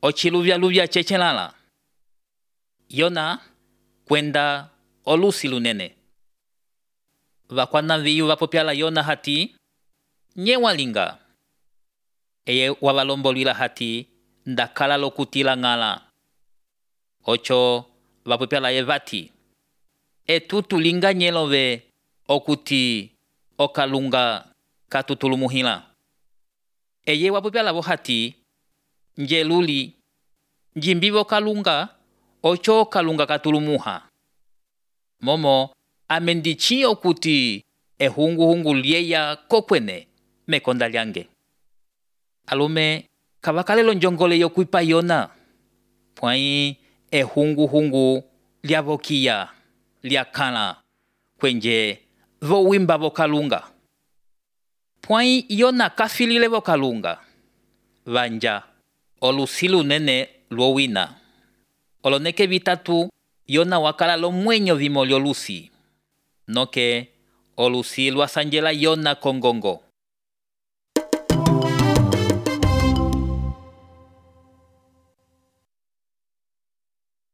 ochiluvya chechelala. Yona kwenda olusi lunene. Vakwana viyu vapopyala Yona hati nye walinga. Eye wavalombolwila hati ndakala lokutila ngala. Ocho vapopyala ye vati etutu linga nyelove okuti okalunga katutulumuhila. Eye wapopyala vo hati njeluli njimbivo kalunga ocho kalunga katulumuha. Momo amendichi okuti ehunguhungu lieya kokwene mekonda lyange. Alume kavakalelo njongole yokuipa Yona. Pwai ehunguhungu liavokia liakala kwenje vo wimba vo kalunga. Pwai Yona kafilile vo kalunga. Vanja olusilu nene luowina. Oloneke vitatu Yona wakala lo mwenyo vimo liolusi. Noke olusi luasanjela Yona kongongo.